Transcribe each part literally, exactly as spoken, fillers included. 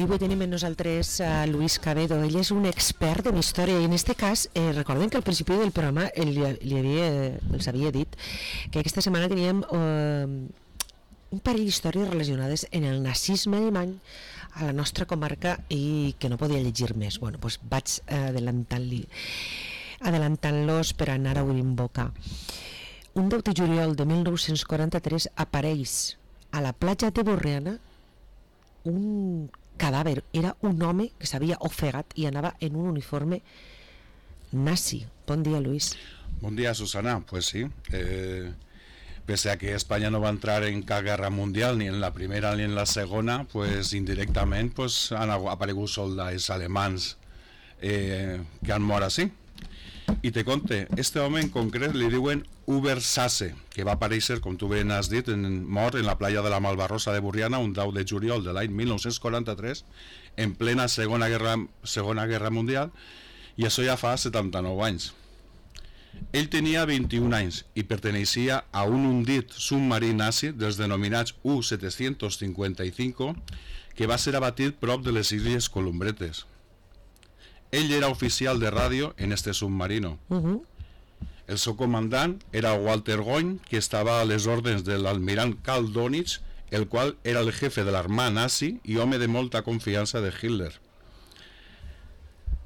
avui tenim amb nosaltres a Luis Cabedo. Ell és un expert en història i en aquest cas, eh, recordem que al principi del programa ell li, li havia, els havia dit que aquesta setmana teníem eh, un parell d'històries relacionades en el nazisme alemany a la nostra comarca i que no podia llegir més. Bueno, doncs vaig adelantant-li adelantant-los per anar obrint boca. Un deu de juliol de mil nou-cents quaranta-tres apareix a la platja de Borriana un cadàver. Era un home que s'havia ofegat i anava en un uniforme nazi. Bon dia, Luis. Bon dia, Susana. Pues sí, eh, pese a que España no va a entrar en cada guerra mundial, ni en la primera ni en la segona, pues indirectament pues, han aparegut soldats alemans eh, que han mort així. I te conte, este home en concret li diuen Hubert Sasse, que va aparèixer, com tu ben has dit, en, mort en la playa de la Malvarrosa de Borriana un deu de juliol de l'any mil nou-cents quaranta-tres, en plena Segona Guerra, Segona Guerra Mundial, i això ja fa setanta-nou anys. Ell tenia vint-i-un anys i perteneixia a un hundit submarí nazi dels denominats U setecientos cincuenta y cinco, que va ser abatit prop de les Illes Columbretes. Ell era oficial de ràdio en este submarino. Uh-huh. El seu comandant era Walter Goin, que estava a les ordres de l'almirant Karl Dönitz, el qual era el jefe de l'armada nazi i home de molta confiança de Hitler.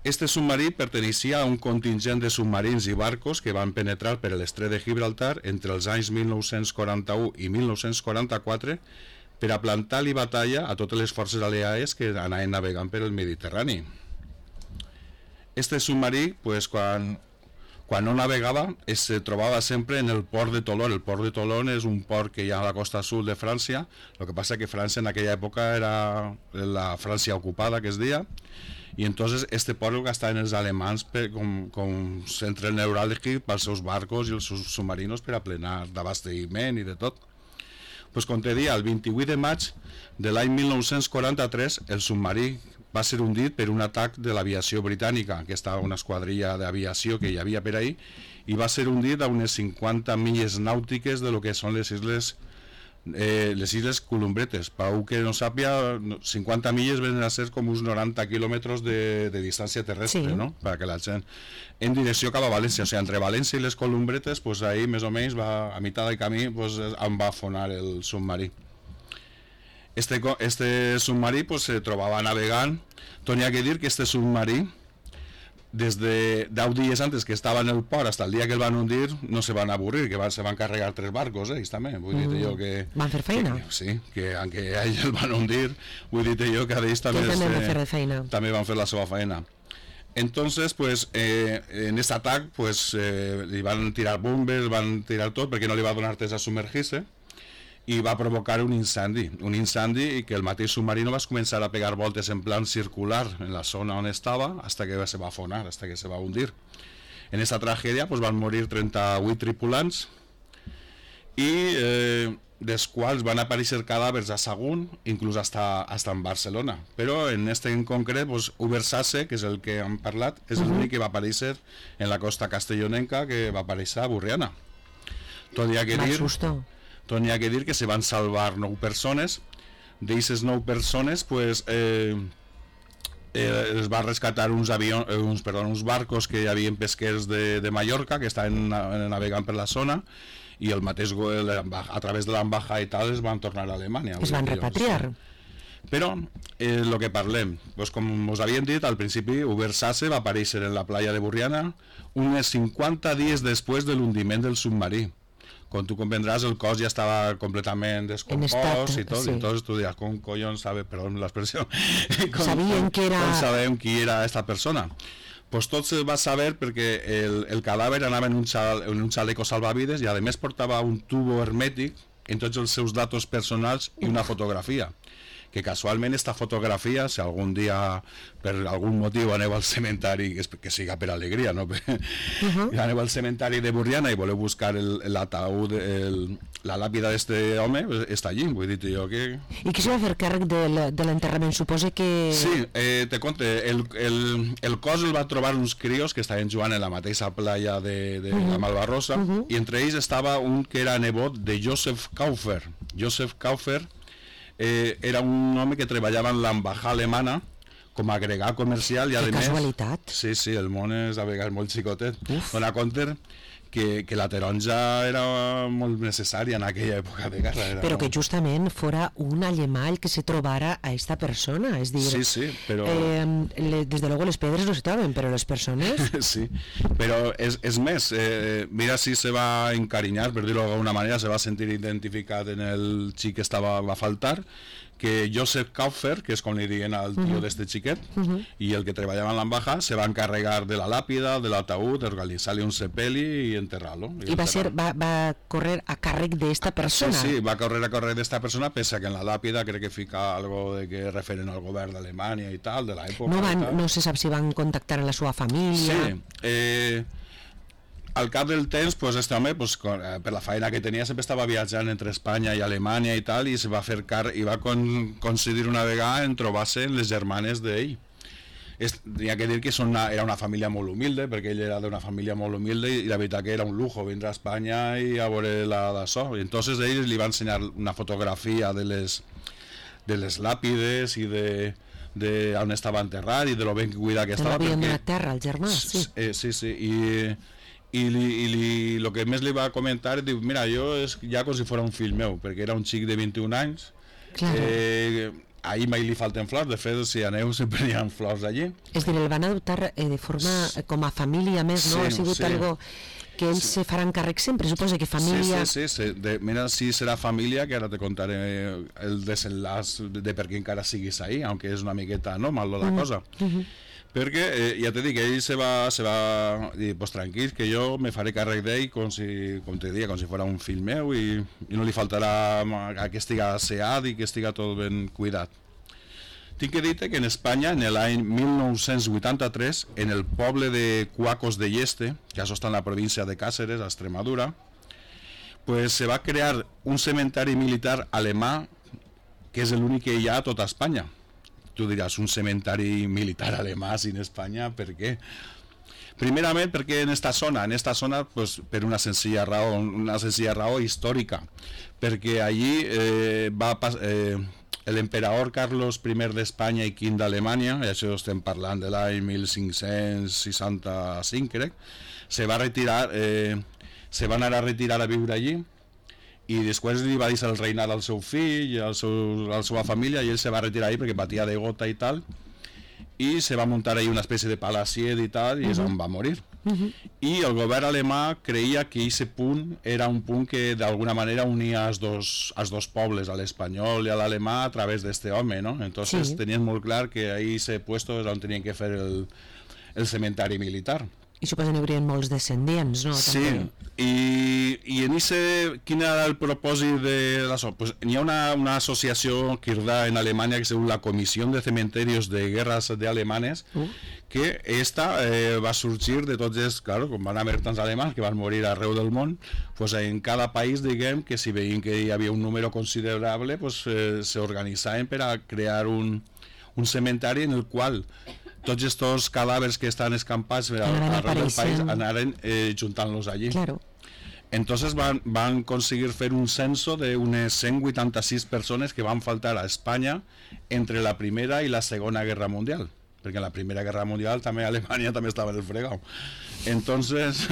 Este submarí perteneixia a un contingent de submarins i barcos que van penetrar per l'estret de Gibraltar entre els anys mil nou-cents quaranta-u i mil nou-cents quaranta-quatre per a plantar-li batalla a totes les forces aliades que anaven navegant per el Mediterrani. Este submarí, pues, quan, quan no navegava, es trobava sempre en el port de Tolón. El port de Tolón és un port que hi ha a la costa sud de França. Lo que pasa que França en aquella època era la Francia ocupada, que es deia, i entonces este port el gastaven els alemans per, com, com centre neuràlgic pels seus barcos i els seus submarinos per a plenar d'abastiment i de tot. Pues, com te dia, el vint-i-vuit de maig de l'any mil nou-cents quaranta-tres, el submarí va ser hundit per un atac de l'aviació britànica, que estava una esquadrilla d'aviació que hi havia per ahí, i va ser hundit a unes cinquanta milles nàutiques de lo que són les illes eh, les illes Columbretes. Per a que no sàpia, cinquanta milles venen a ser com uns noranta quilòmetres de, de distància terrestre, sí. No? Per a que la gent, en direcció cap a València, o sigui, entre València i les Columbretes, pues ahí més o menys va, a meitat del camí pues, em va afonar el submarí. Este, este submarí pues, se trobava navegant. Tenia que dir que este submarí, des de deu dies antes que estava en el port hasta el dia que el van hundir, no se van avorrir, que van, se van carregar tres barcos, ells també. Vull mm. dir jo que... Van fer feina. Que, sí, que aunque a ells el van hundir, vull dir jo que a ells també, també, van fer feina. també van fer la seva feina. Entonces, pues, eh, en este atac, pues, eh, li van tirar bombes, van tirar tot, perquè no li va donar temps a submergir-se, i va provocar un incendi, un incendi i que el mateix submarino va començar a pegar voltes en plan circular en la zona on estava hasta que se va afonar, hasta que se va hundir. En esta tragèdia pues, van morir trenta-vuit tripulants i eh, dels quals van aparèixer cadàvers a Sagunt, inclús hasta, hasta en Barcelona. Però en este en concret, pues, Hubert Sasse, que és el que hem parlat, és uh-huh. l'únic que va aparèixer en la costa castellonenca, que va aparèixer a Borriana. Tot hi ha que dir... Tot hi ha que dir que se van salvar nou persones. D'aquestes nou persones, pues, eh, eh, es va rescatar uns, avions, eh, uns, perdó, uns barcos que hi havia pesquers de, de Mallorca, que estaven navegant per la zona, i el mateix, a través de l'embajada i tal, es van tornar a Alemanya. Es van repatriar. Però, eh, el que parlem, pues, com us havíem dit, al principi, Hubert Sasse va aparèixer en la playa de Borriana unes cinquanta dies després de l'hundiment del submarí. Com tu comprendràs, el cos ja estava completament descompost i tot, sí. I entonces tu diràs, com collons sabe, perdó l'expressió, com, sabien que era... com sabem qui era esta persona. Pues tot se va saber perquè el, el cadàver anava en un, xal, en un xaleco salvavides i a més portava un tubo hermètic en tots els seus datos personals i una fotografia. Que casualment esta fotografia, si algun dia per algun motiu aneu al cementari, que siga per alegria, no? Uh-huh. Aneu al cementari de Borriana i voleu buscar l'ataúd, la làpida d'este home, està allí, vull dir jo que... I qui se va fer càrrec de l'enterrament? Suposa que... Sí, eh, te conte, el, el, el cos el va trobar uns crios que estaven jugant en la mateixa playa de, de uh-huh. la Malvarrosa, uh-huh. i entre ells estava un que era nebot de Joseph Kaufer. Joseph Kaufer eh, era un home que treballava en l'embajada alemana com a agregat comercial i a que més... casualitat. Sí, sí, el món és a vegades molt xicotet. Uf. Dona compte que, que la taronja era molt necessària en aquella època de guerra. Era Però molt... que justament fora un alemany que se trobara a esta persona, és dir... Sí, sí, però... Eh, le, desde luego les pedres no se troben, però les persones... Sí, però és, és més, eh, mira si se va encarinyar, per dir-ho d'alguna manera, se va sentir identificat en el xic que estava, va faltar, que Joseph Kaufer, que és com li diuen al tio uh-huh. d'este xiquet, uh-huh. i el que treballava en l'embajada, se va encarregar de la làpida, de l'ataúd, d'organitzar-li un sepeli i enterrar-lo. I, I va, ser, va, va correr a càrrec d'esta persona. Sí, sí, va correr a càrrec d'esta persona, pese que en la làpida crec que fica algo de que referen al govern d'Alemanya i tal, de l'època. No, van, no se sap si van contactar a la seva família. Sí, eh... al cap del temps, pues, este home, pues, con, eh, per la feina que tenia, sempre estava viatjant entre Espanya i Alemanya i tal, i se va fer car i va con coincidir una vegada en trobar-se amb les germanes d'ell. Tenia que dir que són una, era una família molt humilde, perquè ell era d'una família molt humilde i la veritat que era un lujo vindre a Espanya i a veure la d'això. I entonces ells li van ensenyar una fotografia de les, de les làpides i de, de on estava enterrat i de lo ben cuidat que estava. Te l'havien donat terra, el germà, sí. Eh, sí, sí, i... i, li, i li, lo que més li va comentar, diu, mira, jo és ja com si fos un fill meu, perquè era un xic de vint-i-un anys, claro. eh, ahir mai li falten flors, de fet si aneu sempre hi ha flors allí. És dir, el van adoptar eh, de forma eh, com a família més, no? Sí, Ha sigut sí. algo que ells sí. se faran càrrec sempre, suposa que família... Sí, sí, sí, sí. De, mira si serà família, que ara te contaré el desenlaç de per què encara siguis ahí, aunque és una miqueta normal la mm. cosa. Mm -hmm. Perquè, eh, ja te dic, ell se va, se va dir, pues tranquil, que jo me faré càrrec d'ell com si, com te diria, com si fos un fill meu i, i no li faltarà a que estiga asseat i que estiga tot ben cuidat. Tinc que dir-te que en Espanya, en l'any mil nou-cents vuitanta-tres, en el poble de Cuacos de Yeste, que això està en la província de Càceres, a Extremadura, pues se va crear un cementari militar alemà que és l'únic que hi ha a tota Espanya. Tu diràs, un cementari militar alemà sin Espanya, per què? Primerament perquè en esta zona, en esta zona pues, per una senzilla raó, una senzilla raó històrica, perquè allí eh, va eh, l'emperador Carlos primer d'Espanya i quint d'Alemanya, i això estem parlant de l'any mil cinc-cents seixanta-cinc, crec, se va retirar, eh, se va anar a retirar a viure allí, i després li va deixar el reinat al seu fill i al seu, a la seva família, i ell se va retirar ahí perquè patia de gota i tal, i se va muntar ahí una espècie de palaciet i tal, i uh-huh. és on va morir. Uh-huh. I el govern alemà creia que aquest punt era un punt que d'alguna manera unia els dos, els dos pobles, a l'espanyol i a l'alemà, a través d'este home, no? Entonces sí. tenien molt clar que ahí ese puesto és on tenien que fer el, el cementari militar. I suposo que n'hi haurien molts descendients, no? Sí, i, i en ese, quin era el propòsit de l'això? Pues hi ha una, una associació que hi ha en Alemanya que es diu la Comissió de Cementerios de Guerras de Alemanes, uh. que esta eh, va sorgir de tots els, claro, com van haver tants alemans que van morir arreu del món, pues en cada país, diguem, que si veien que hi havia un número considerable, pues eh, s'organitzaven per a crear un, un cementari en el qual tots estos cadàvers que estan escampats arreu del país anaren eh, juntant-los allí. Claro. Entonces van, van conseguir fer un censo de unes cent vuitanta-sis persones que van faltar a Espanya entre la Primera i la Segona Guerra Mundial, perquè en la Primera Guerra Mundial també Alemanya també estava en el fregau. Entonces,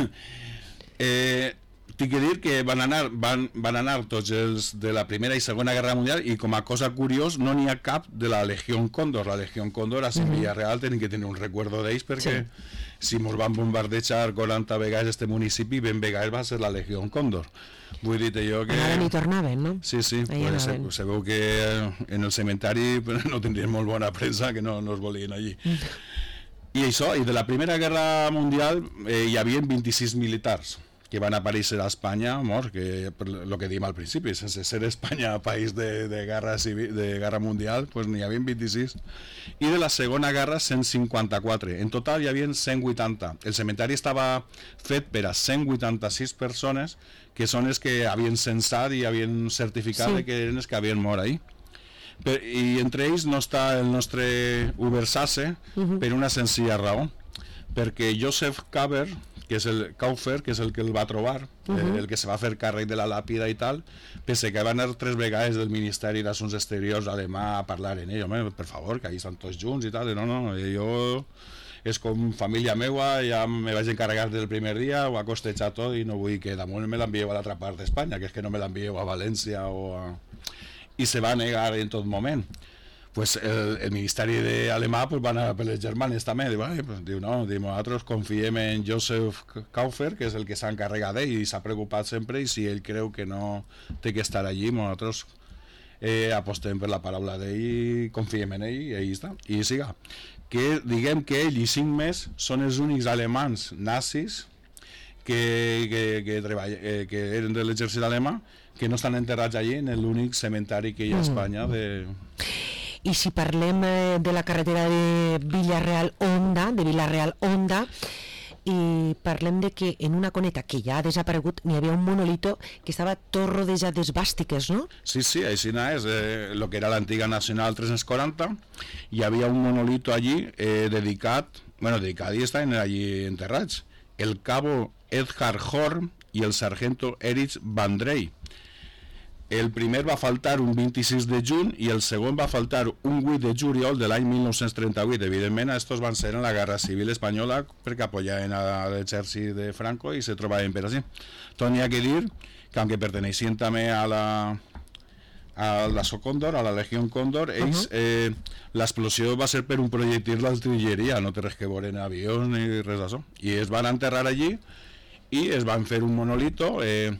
eh, tinc que dir que van anar, van, van anar tots els de la Primera i Segona Guerra Mundial, i com a cosa curiós no n'hi ha cap de la Legió Còndor. La Legió Còndor a mm-hmm. Villarreal tenen que tenir un recuerdo d'ells, perquè sí. si mos van bombardejar quaranta vegades este municipi, ben vegades va ser la Legió Còndor. Vull dir-te jo que... Anaven i tornaven, no? Sí, sí, pues se, se veu que en el cementari no tindrien molt bona premsa, que no, no es volien allí. Mm. I això, i de la Primera Guerra Mundial eh, hi havia vint-i-sis militars que van aparèixer a Espanya, mort, que per lo que diem al principi, sense ser Espanya país de, de, guerra civil, de guerra mundial, pues n'hi havia vint-i-sis. I de la Segona Guerra, cent cinquanta-quatre. En total hi havia cent vuitanta. El cementari estava fet per a cent vuitanta-sis persones, que són els que havien censat i havien certificat sí. que eren els que havien mort ahí. Per, i entre ells no està el nostre Ubersasse uh-huh. per una senzilla raó, perquè Joseph Kaufer, que és el Kaufer, que és el que el va trobar, uh -huh. eh, el que se va fer càrrec de la làpida i tal, pense que van anar tres vegades del Ministeri d'Assumptes Exteriors alemà a parlar en ell, home, per favor, que ahí estan tots junts i tal, i no, no, jo és com família meua, ja me vaig encarregar del primer dia, ho ha costejat tot i no vull que damunt me l'envieu a l'altra part d'Espanya, que és que no me l'envieu a València o a... i se va negar en tot moment. Pues el, el Ministeri alemà pues, va anar per les germanes també, diu, ai, pues, diu no, diu, nosaltres confiem en Josef Kaufer, que és el que s'ha encarregat d'ell i s'ha preocupat sempre, i si ell creu que no té que estar allí, nosaltres eh, apostem per la paraula d'ell i confiem en ell, i ahí està, i siga. Que diguem que ell i cinc més són els únics alemans nazis que, que, que, treball, eh, que eren de l'exèrcit alemà que no estan enterrats allí en l'únic cementari que hi ha a Espanya de... I si parlem eh, de la carretera de Villarreal-Onda, de Villarreal-Onda, i parlem de que en una coneta que ja ha desaparegut n'hi havia un monolito que estava tot rodejat d'esvàstiques, no? Sí, sí, així és, eh, lo que era l'antiga Nacional tres-cents quaranta, hi havia un monolito allí eh, dedicat, bueno, dedicat i estan allí enterrats, el cabo Edhard Horn i el sargento Erich Van Drey. El primer va faltar un vint-i-sis de juny i el segon va faltar un vuit de juliol de l'any mil nou-cents trenta-vuit. Evidentment, estos van ser en la Guerra Civil Espanyola perquè apoyaven a l'exèrcit de Franco i se trobaven per així. Tot n'hi ha que dir que, aunque perteneixien també a la a la Socóndor, a la Legió Còndor, ells, uh -huh. eh, l'explosió va ser per un projectil d'artilleria, no té res que veure en avions ni res d'això. I es van enterrar allí i es van fer un monolito, eh,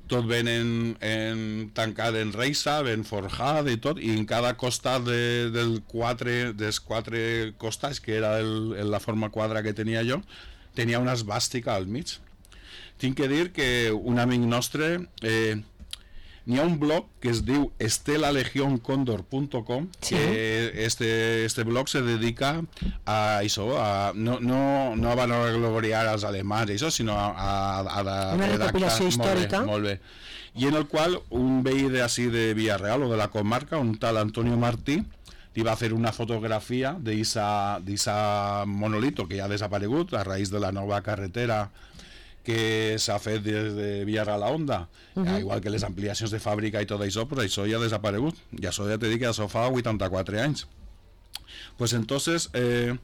tot ben en, en, tancat en reixa, ben forjat i tot, i en cada costat de, del quatre, dels quatre costats, que era el, la forma quadra que tenia jo, tenia una esvàstica al mig. Tinc que dir que un amic nostre, eh, n'hi ha un blog que es diu estela legion condor punto com, sí. Que este, este blog se dedica a això, a, no, no, no a vanagloriar als alemans, això, sinó a, a, a, a una recopilació històrica. Molt bé, molt bé. I en el qual un veí d'ací de Villarreal o de la comarca, un tal Antonio Martí, li va fer una fotografia d'aquest monolito que ja ha desaparegut a raïs de la nova carretera que s'ha fet des de Villarreal a Onda, uh -huh. igual que les ampliacions de fàbrica i tot això, pues això ja ha desaparegut, i això ja t'he dit que això fa vuitanta-quatre anys. Pues entonces, eh,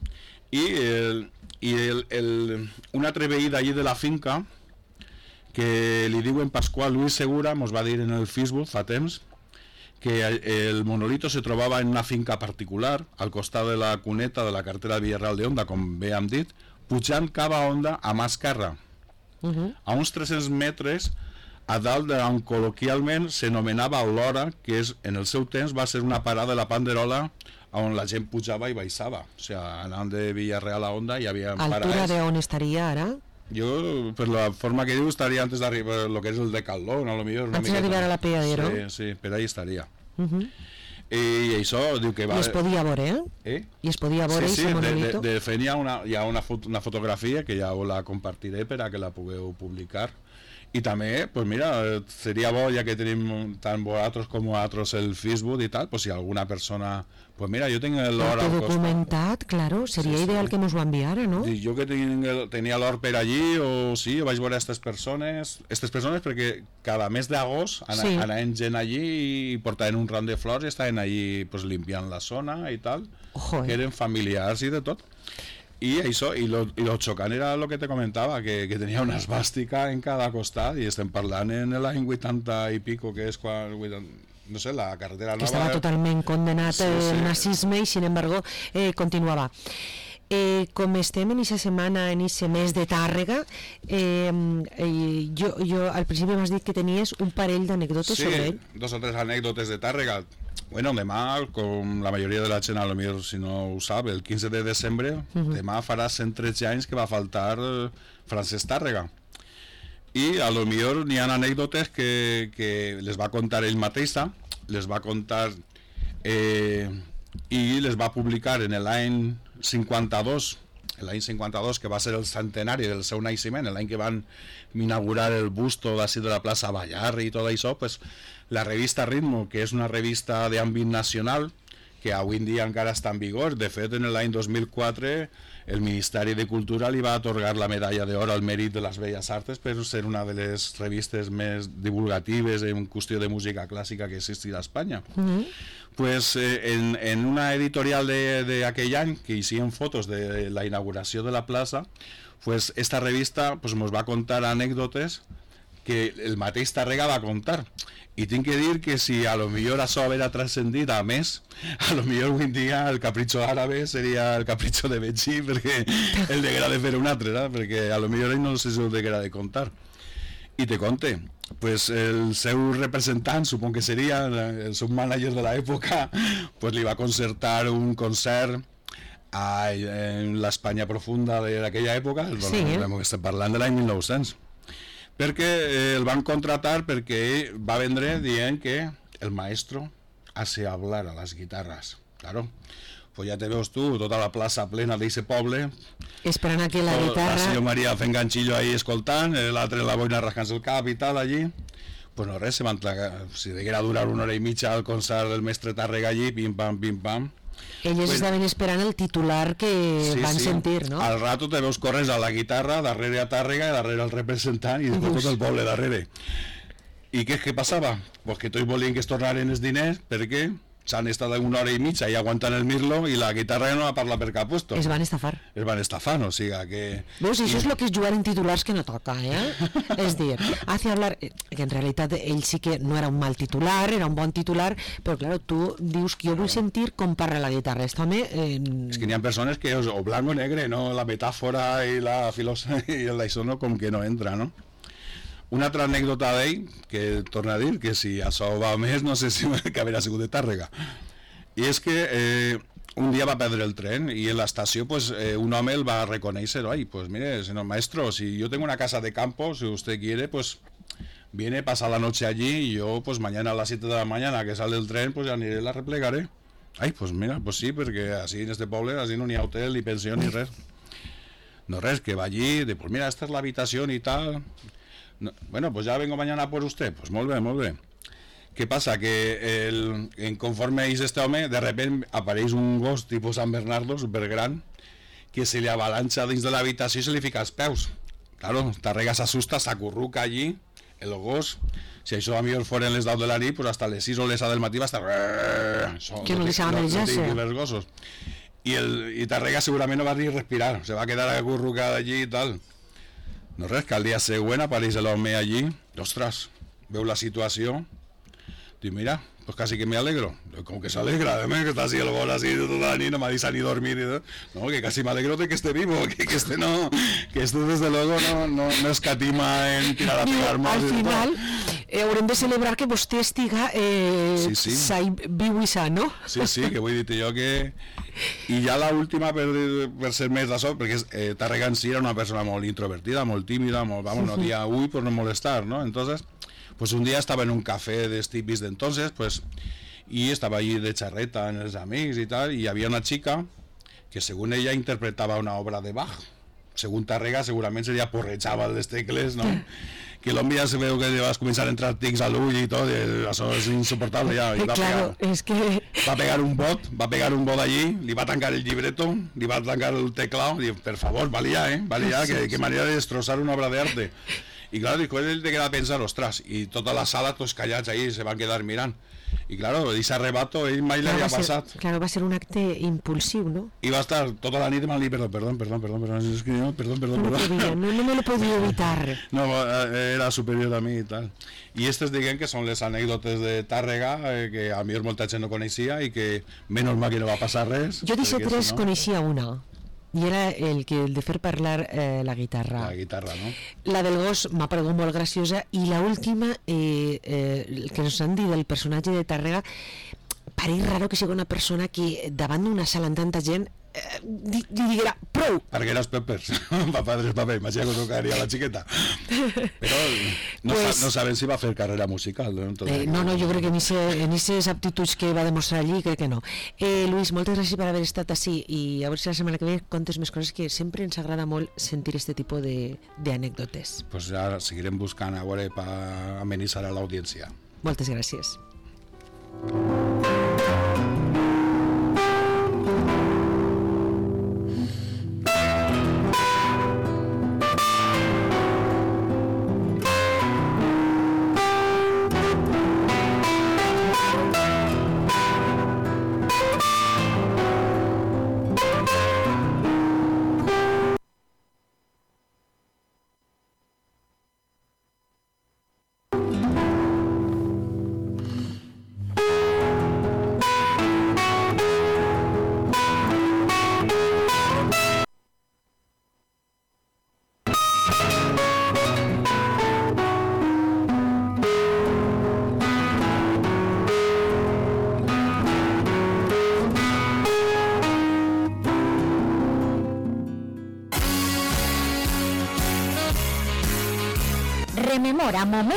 i, el, i el, el, un altre veí d'allí de la finca, que li diuen Pasqual Luis Segura, mos va dir en el Facebook fa temps, que el monolito se trobava en una finca particular, al costat de la cuneta de la carretera de Villarreal de Onda, com bé hem dit, pujant cap a Onda a mà esquerra, Uh -huh. a uns tres-cents metres a dalt d'on col·loquialment s'anomenava l'Hora, que és, en el seu temps va ser una parada de la Panderola on la gent pujava i baixava, o sigui, anant de Villarreal a Onda hi havia parades. Altura d'on estaria ara? Jo, per la forma que diu, estaria antes d'arribar lo que és el Decathlon, a lo millor. Antes d'arribar a la Peadero? Sí, sí, per ahí estaria. Uh -huh. I això diu que va... I es podia veure, eh? eh? I es podia veure, sí, sí, ese de, monolito? de, de fet hi ha, una, hi ha una, fot una fotografia que ja la compartiré per a que la pugueu publicar. I també, pues mira, seria bo, ja que tenim tant vosaltres com vosaltres el Facebook i tal, pues si alguna persona... Pues mira, jo tinc l'or al costat. Documentat, claro, seria sí, ideal sí. que mos ho enviara, no? Jo que tinc, tenia l'or per allí, o sí, vaig veure aquestes persones, aquestes persones perquè cada mes d'agost an sí. anaven gent allí i portaven un ram de flors i estaven allí pues, limpiant la zona i tal, Ojo, eh? que eren familiars i de tot. I això, i lo, i lo xocant era el que te comentava, que, que tenia una esvàstica en cada costat, i estem parlant en l'any vuitanta i pico, que és quan... vuitanta, no sé, la carretera nova... Que estava totalment condenat sí, sí. el nazisme i, sin embargo, eh, continuava. Eh, com estem en aquesta setmana, en aquest mes de Tàrrega, eh, eh, jo, jo al principi m'has dit que tenies un parell d'anècdotes sí, sobre ell. Sí, dos o tres anècdotes de Tàrrega. Bueno, demà, com la majoria de la gent, a lo millor, si no ho sap, el quinze de desembre, uh -huh. demà farà cent tretze anys que va faltar Francesc Tàrrega. I a lo millor n'hi ha anècdotes que, que les va contar ell mateixa, les va contar eh, i les va publicar en l'any cinquanta-dos, l'any cinquanta-dos, que va ser el centenari del seu naixement, l'any que van inaugurar el busto d'ací de la plaça Ballar i tot això, pues, la revista Ritmo, que és una revista d'àmbit nacional, que avui en dia encara està en vigor. De fet, en l'any dos mil quatre el Ministeri de Cultura li va atorgar la medalla d'or al mèrit de les Belles Arts per ser una de les revistes més divulgatives en qüestió de música clàssica que existia a Espanya. Mm-hmm. Pues, eh, en, en una editorial d'aquell any, que hicieron fotos de la inauguració de la plaça, pues, esta revista pues, nos va contar anècdotes que el mateix Tàrrega va contar. I tinc que dir que si a lo millor això haguera transcendit a més, a lo millor avui en dia el capritxo àrabe seria el capritxo de Betxí, perquè el deguera de fer un altre, ¿no? Perquè a lo millor ell no sé si el deguera de contar. I te conte, pues el seu representant, supon que seria el seu mànager de l'època, pues li va concertar un concert a, en l'Espanya profunda d'aquella època, sí, bueno, estem parlant de l'any mil nou-cents. Perquè eh, el van contratar perquè ell va vendre dient que el maestro hace hablar a las guitarras. Claro, pues ja te veus tu, tota la plaça plena d'eixe poble, esperant a que la guitarra... La senyora Maria fent ganxillo ahí escoltant, l'altre la boina rascant el cap i tal allí. Pues no res, se van tragar, si deguera durar una hora i mitja al concert del mestre Tàrrega allí, pim pam, pim pam. Ells pues, estaven esperant el titular que sí, van sí. sentir, no? Al rato te veus corres a la guitarra, darrere a Tàrrega, darrere el representant i després tot el poble darrere. I què, què passava? Pues que tots volien que es tornaren els diners perquè s'han estat una hora i mitja i aguantant el mirlo i la guitarra no va parlar per cap puesto. Es van estafar. Es van estafar, o sigui que... Veus, això és el que és jugar en titulars que no toca, eh? És dir, hace hablar... Que en realitat ell sí que no era un mal titular, era un bon titular, però clar, tu dius que jo vull sentir com parla la guitarra. Esto me... Eh... És que n'hi ha persones que o blanc o negre, no? La metàfora i la filosofia i l'això no, com que no entra, no? Una altra anècdota d'ell, que torna a dir que si això va més, no sé si que haurà sigut de Tàrrega. I és que eh, un dia va perdre el tren i en l'estació pues, eh, un home el va reconèixer. Ay, pues mire, señor maestro, si yo tengo una casa de campo, si usted quiere, pues viene, pasa la noche allí y yo pues mañana a las siete de la mañana que sale el tren, pues ya aniré, la replegaré. Ay, pues mira, pues sí, perquè así en este poble, así no ni hotel, ni pensió, ni res. No res, que va allí, de pues mira, esta es la habitación y tal... No, bueno, pues ya vengo mañana por usted. Pues molt bé, molt bé. Què passa? Que el, en conforme és este home, de repente apareix un gos tipus San Bernardo, supergran, que se li avalanxa dins de l'habitació i se li fica als peus. Claro, Tàrrega s'assusta, s'acurruca allí, el gos, si això a millor foren les deu de la nit, pues hasta les sis o les set del matí va estar... Que no deixava menjar-se. Els gossos. I, el, i Tàrrega segurament no va ni respirar, se va quedar acurrucat allí i tal. No res, que al dia següent apareix l'home allí, ostres, veu la situació, diu, mira, pues casi que me alegro. Com que s'alegra, eh, que està así el gol así tota la nit, no m'ha dit ni dormir, no, que casi me alegro de que esté vivo, que, que este no, que este desde luego no, no, no escatima en tirar a pegar más. Al final, eh, haurem de celebrar que vostè estiga eh, sí, sí. sa, viu i sa, no? Sí, sí, que vull dir-te jo que... I ja l'última, per, per ser més d'això, perquè eh, Tàrrega en si era una persona molt introvertida, molt tímida, molt, vamos, no dia uy por no molestar, ¿no? Entonces, pues un día estaba en un café de tipis de entonces, pues, y estaba allí de charreta en els amics y tal, y había una chica que según ella interpretaba una obra de Bach. Según Tàrrega segurament seria porrejava les tecles, no? Que l'home ja se veu que vas començar a entrar tics a l'ull i tot, i això és insuportable ja. I va, claro, pegar, es que... va pegar un bot, va pegar un bot allí, li va tancar el llibreto, li va tancar el teclado, i diu, per favor, valia, eh, valia, que, que manera de destrossar una obra d'arte. I claro, después él te queda a pensar, ostras, i tota la sala, tots callats ahí, se van quedar mirant. I claro, ese arrebato, ell mai claro, l'havia passat. Claro, va ser un acte impulsiu, ¿no? I va estar tota la nit mal dir, perdón, perdón, perdón, perdón, perdón, es que no, perdón, perdón, no, perdón. Podía, no, no me lo podía evitar. No, era superior a mi i tal. I aquestes, diguem, que són les anècdotes de Tàrrega, eh, que a mi molta gent no coneixia i que menys mal que no va passar res. Jo d'aquestes tres no... coneixia una. I era el que el de fer parlar eh, la guitarra. La guitarra, no? La del gos m'ha paregut molt graciosa i l'última, eh, eh, el que ens han dit del personatge de Tàrrega, pareix raro que sigui una persona que davant d'una sala amb tanta gent eh, li diguera prou. Perquè eres Peppers, pa padres paper, imagina que tocaria la xiqueta. Però no, pues, sa, no saben si va fer carrera musical. No, eh, no, no, jo crec que en aquestes aptituds que va demostrar allí, crec que no. Eh, Luis, moltes gràcies per haver estat així i a veure si la setmana que ve contes més coses, que sempre ens agrada molt sentir este tipus d'anècdotes. Pues ara seguirem buscant a veure per amenitzar a l'audiència. Moltes gràcies. rememora moments